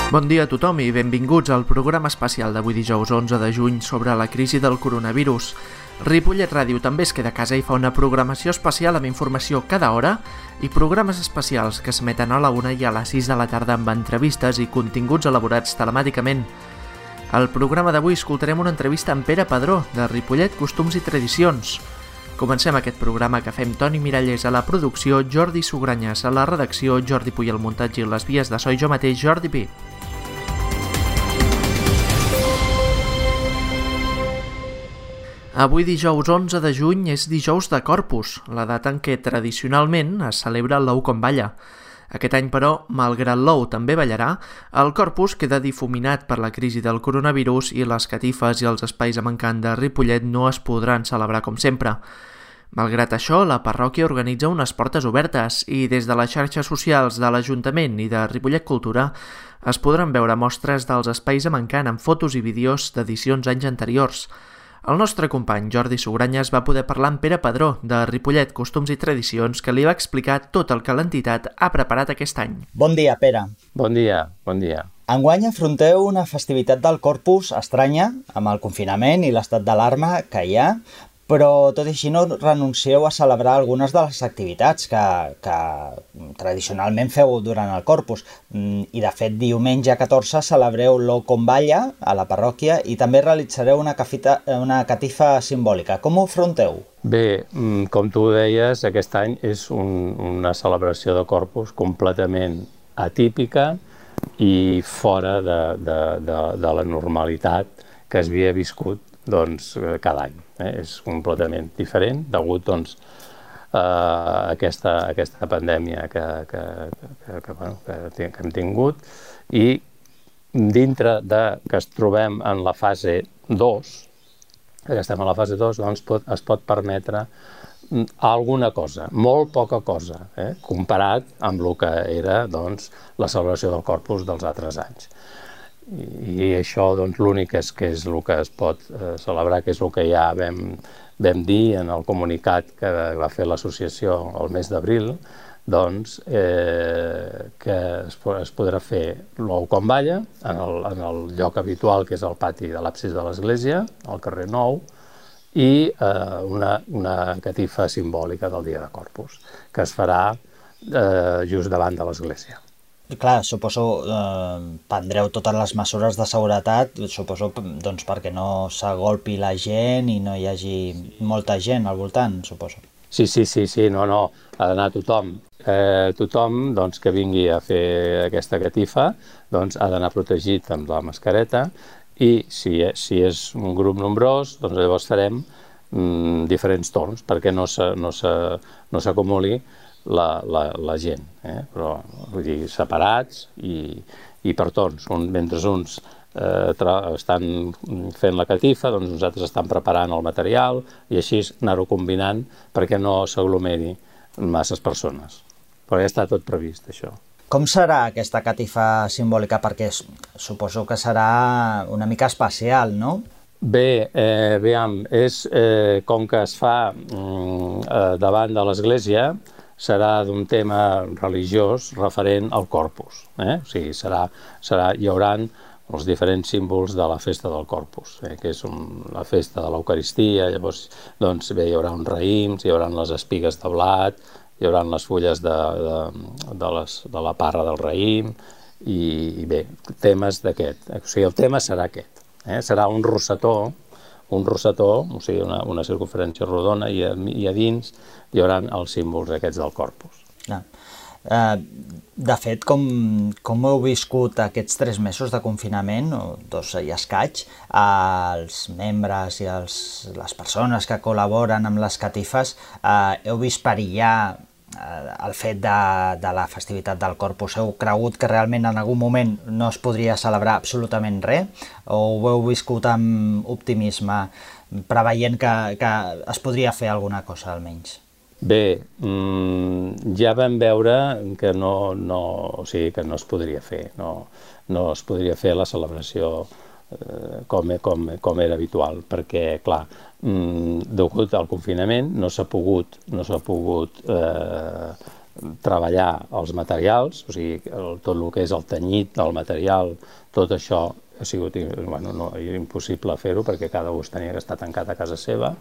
Bon dia a tothom i benvinguts al programa especial d'avui dijous 11 de juny sobre la crisi del coronavirus. Ripollet Ràdio també es queda a casa i fa una programació especial amb informació cada hora i programes especials que s'emeten a la 1 i a les 6 de la tarda amb entrevistes i continguts elaborats telemàticament. Al programa d'avui escoltarem una entrevista amb Pere Padró, de Ripollet Costums i Tradicions. Comencem aquest programa que fem Toni Mirallés a la producció, Jordi Sugranyes a la redacció, Jordi Puy al muntatge i les vies de so i jo mateix, Jordi Pi. Avui dijous 11 de juny és dijous de Corpus, la data en què tradicionalment es celebra l'ou com balla. Aquest any, però, malgrat l'ou també ballarà, el Corpus queda difuminat per la crisi del coronavirus i les catifes i els espais amb encant de Ripollet no es podran celebrar com sempre. Malgrat això, la parròquia organitza unes portes obertes i des de les xarxes socials de l'Ajuntament i de Ripollet Cultura es podran veure mostres dels espais amb encant amb fotos i vídeos d'edicions anys anteriors. El nostre company Jordi Sugranyes va poder parlar amb Pere Padró, de Ripollet Costums i Tradicions, que li va explicar tot el que l'entitat ha preparat aquest any. Bon dia, Pere. Bon dia, bon dia. Enguany afronteu una festivitat del Corpus estranya, amb el confinament i l'estat d'alarma que hi ha, però tot i així no renuncieu a celebrar algunes de les activitats que tradicionalment feu durant el Corpus. I de fet, diumenge 14 celebreu l'ou com balla a la parròquia i també realitzareu una catifa simbòlica. Com ho afronteu? Bé, com tu deies, aquest any és una celebració de Corpus completament atípica i fora de la normalitat que es havia viscut cada any. És completament diferent degut a aquesta pandèmia que hem tingut i dintre que es trobem en la fase 2, que estem a la fase 2, es pot permetre alguna cosa, molt poca cosa, comparat amb el que era la celebració del Corpus dels altres anys. I això l'únic que és el que es pot celebrar, que és el que ja vam dir en el comunicat que va fer l'associació el mes d'abril, que es podrà fer l'ou com balla en el lloc habitual, que és el pati de l'absis de l'església, al carrer Nou, i una catifa simbòlica del dia de Corpus, que es farà just davant de l'església. Clar, suposo prendreu totes les mesures de seguretat, suposo perquè no s'agolpi la gent i no hi hagi molta gent al voltant, suposo. Sí, no, ha d'anar tothom. Tothom que vingui a fer aquesta catifa ha d'anar protegit amb la mascareta i si és un grup nombrós, llavors farem diferents torns perquè no s'acumuli la gent, però vull dir, separats i per torns. Mentre uns estan fent la catifa, uns altres estan preparant el material i així anar-ho combinant perquè no s'aglomeri masses persones. Però ja està tot previst, això. Com serà aquesta catifa simbòlica? Perquè suposo que serà una mica especial, no? Bé, com que es fa davant de l'església, serà d'un tema religiós referent al Corpus. O sigui, hi haurà els diferents símbols de la festa del Corpus, que és la festa de l'Eucaristia. Llavors, hi haurà uns raïms, hi haurà les espigues de blat, hi haurà les fulles de la parra del raïm, i bé, temes d'aquest. O sigui, el tema serà aquest. Serà un rosetó, o sigui, una circunferència rodona, i a dins hi haurà els símbols aquests del Corpus. De fet, com heu viscut aquests 3 mesos de confinament, o 2 i escaig, els membres i les persones que col·laboren amb les catifes, heu vist perillar el fet de la festivitat del Corpus? Heu cregut que realment en algun moment no es podria celebrar absolutament res? O ho heu viscut amb optimisme, preveient que es podria fer alguna cosa almenys? Bé, ja vam veure que no es podria fer, no es podria fer la celebració com era habitual, perquè, clar, degut al confinament no s'ha pogut treballar els materials, o sigui, tot el que és el tenyit, el material, tot això ha sigut impossible fer-ho perquè cada ús tenia que estar tancat a casa seva.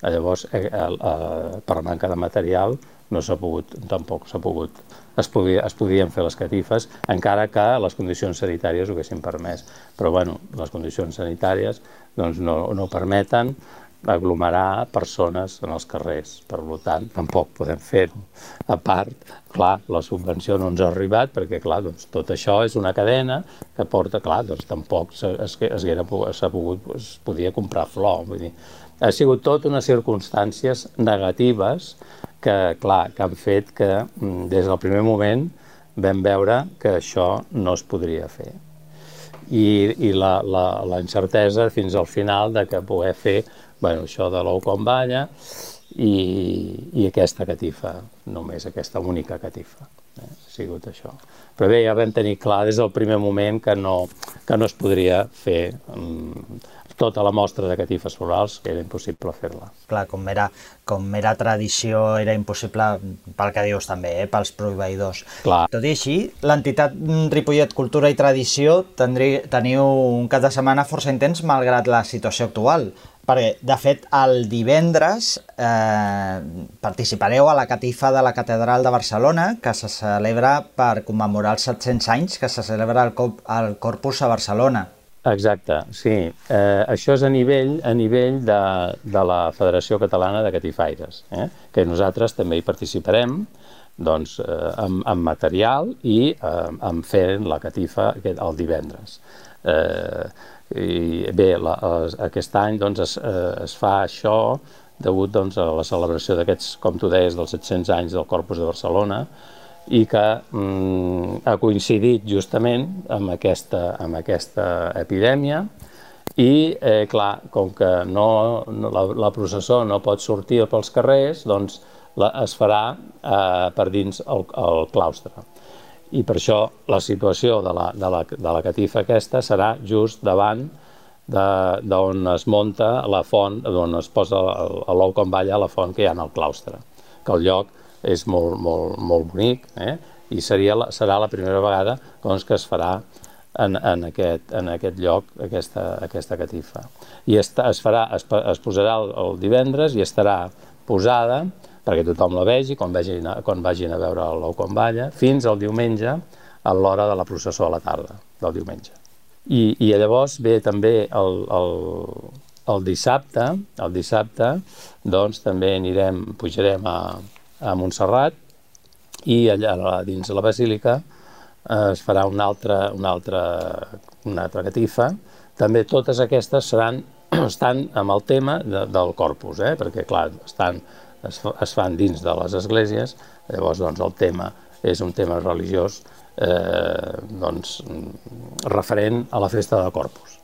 Llavors, per manca de material, no s'ha pogut, tampoc s'ha pogut, es podien fer les catifes, encara que les condicions sanitàries ho haguessin permès. Però, bueno, les condicions sanitàries no permeten aglomerar persones en els carrers. Per tant, tampoc podem fer-ho. A part, clar, la subvenció no ens ha arribat perquè, clar, tot això és una cadena que porta, clar, tampoc es podia comprar flor. Vull dir, ha sigut tot unes circumstàncies negatives que, clar, que han fet que des del primer moment vam veure que això no es podria fer. I la incertesa fins al final de que poder fer això de l'ou com balla i aquesta catifa, només aquesta única catifa. Ha sigut això. Però bé, ja vam tenir clar des del primer moment que no es podria fer tota la mostra de catifes florals, que era impossible fer-la. Clar, com era tradició, era impossible, pel que dius també, pels proveïdors. Clar. Tot i així, l'entitat Ripollet Cultura i Tradició teniu un cap de setmana força intens malgrat la situació actual. Perquè, de fet, el divendres participareu a la catifa de la Catedral de Barcelona, que se celebra per commemorar els 700 anys que se celebra el Corpus a Barcelona. Exacte, sí. Això és a nivell de la Federació Catalana de Catifaires, que nosaltres també hi participarem amb material i amb fent la catifa el divendres. I bé, aquest any es fa això degut a la celebració d'aquests, com tu deies, dels 700 anys del Corpus de Barcelona i que ha coincidit justament amb aquesta epidèmia i, clar, com que la processó no pot sortir pels carrers, doncs es farà per dins el claustre. I per això la situació de la catifa aquesta serà just davant d'on es munta la font, d'on es posa l'ou com balla a la font que hi ha en el claustre, que el lloc és molt bonic i serà la primera vegada que es farà en aquest lloc aquesta catifa. I es posarà el divendres i estarà posada perquè tothom la vegi quan vagin a veure l'ou com balla, fins al diumenge a l'hora de la processó a la tarda del diumenge. I llavors ve també el dissabte, doncs també pujarem a Montserrat i allà dins la basílica es farà una altra catifa. També totes aquestes estan amb el tema del Corpus, perquè clar, es fan dins de les esglésies, llavors el tema és un tema religiós referent a la festa de Corpus.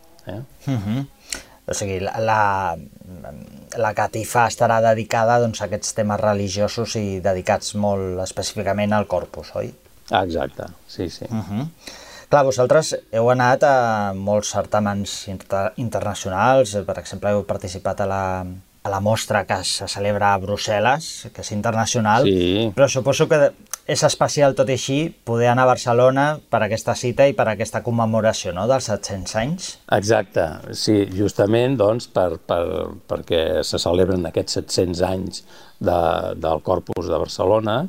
O sigui, la catifa estarà dedicada a aquests temes religiosos i dedicats molt específicament al Corpus, oi? Exacte, sí. Clar, vosaltres heu anat a molts certàmens internacionals, per exemple, heu participat a la mostra que se celebra a Brussel·les, que és internacional, però suposo que és especial tot i així poder anar a Barcelona per aquesta cita i per aquesta commemoració dels 700 anys. Exacte, sí, justament perquè se celebren aquests 700 anys del Corpus de Barcelona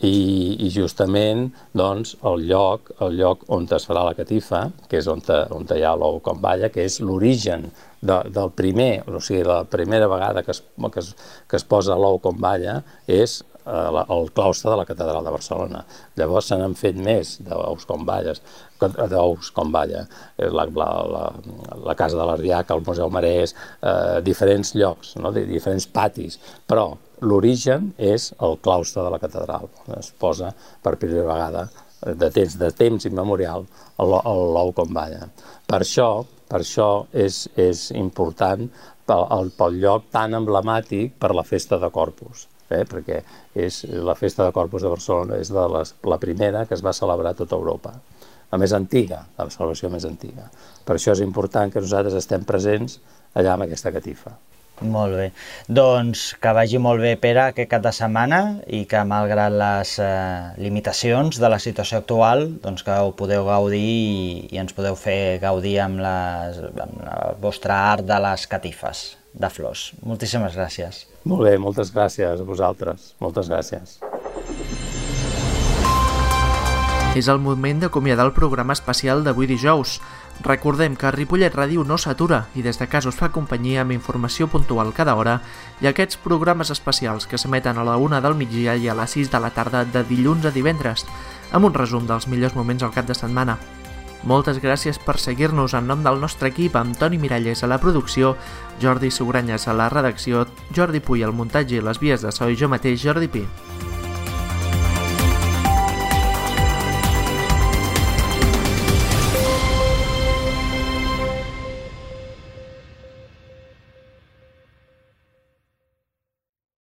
i justament el lloc on es farà la catifa, que és on hi ha l'ou com balla, que és l'origen del primer, o sigui, la primera vegada que es posa l'ou com balla és el claustre de la Catedral de Barcelona. Llavors se n'han fet més d'ous com balla, la Casa de l'Ardiaca, el Museu Marès, diferents llocs, diferents patis, però l'origen és el claustre de la catedral. Es posa per primera vegada de temps immemorial l'ou com balla. Per això és important pel lloc tan emblemàtic per la festa de Corpus, perquè la festa de Corpus de Barcelona és la primera que es va celebrar a tota Europa, la més antiga, la celebració més antiga. Per això és important que nosaltres estem presents allà amb aquesta catifa. Molt bé. Doncs que vagi molt bé, Pere, aquest cap de setmana i que malgrat les limitacions de la situació actual, doncs que ho podeu gaudir i ens podeu fer gaudir amb el vostre art de les catifes de flors. Moltíssimes gràcies. Molt bé, moltes gràcies a vosaltres. Moltes gràcies. És el moment d'acomiadar el programa especial d'avui dijous. Recordem que Ripollet Ràdio no s'atura i des de casa us fa companyia amb informació puntual cada hora i aquests programes especials que s'emeten a la 1 del migdia i a les 6 de la tarda de dilluns a divendres, amb un resum dels millors moments al cap de setmana. Moltes gràcies per seguir-nos en nom del nostre equip amb Toni Miralles a la producció, Jordi Sugranyes a la redacció, Jordi Puy al muntatge i les vies de so i jo mateix, Jordi Pi.